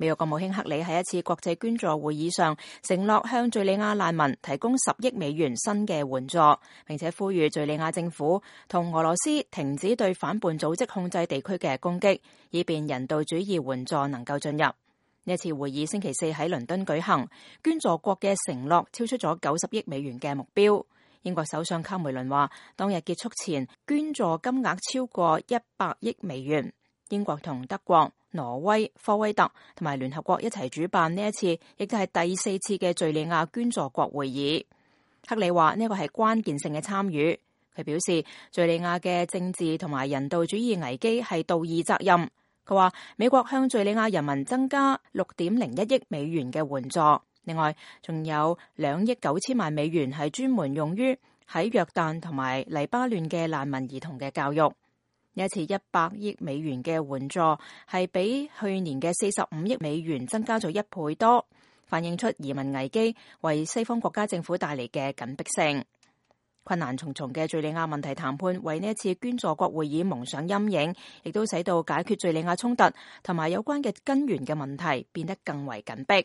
美國國務卿克里喺一次國際捐助會議上承諾向敘利亞難民提供10億美元新嘅援助，並且呼籲敘利亞政府同俄羅斯停止對反叛組織控制地區嘅攻擊，以便人道主義援助能夠進入。呢次會議星期四喺倫敦舉行，捐助國嘅承諾超出咗90億美元嘅目標。英國首相卡梅倫話，當日結束前捐助金額超過100億美元。英國同德國、挪威、科威特同埋聯合國一齊主辦呢一次，亦都係第4次嘅敘利亞捐助國會議。克里話呢個係關鍵性嘅參與。佢表示，敘利亞嘅政治同埋人道主義危機係道義責任。佢話美國向敘利亞人民增加6.01億美元嘅援助，另外仲有2億9千萬美元係專門用於喺約旦同埋黎巴嫩嘅難民兒童嘅教育。呢一次100億美元嘅援助係比去年嘅45億美元增加咗1倍多，反映出移民危機為西方國家政府帶嚟嘅緊迫性。困難重重嘅敘利亞問題談判為呢一次捐助國會議蒙上陰影，亦都使到解決敘利亞衝突同埋有關嘅根源嘅問題變得更為緊迫。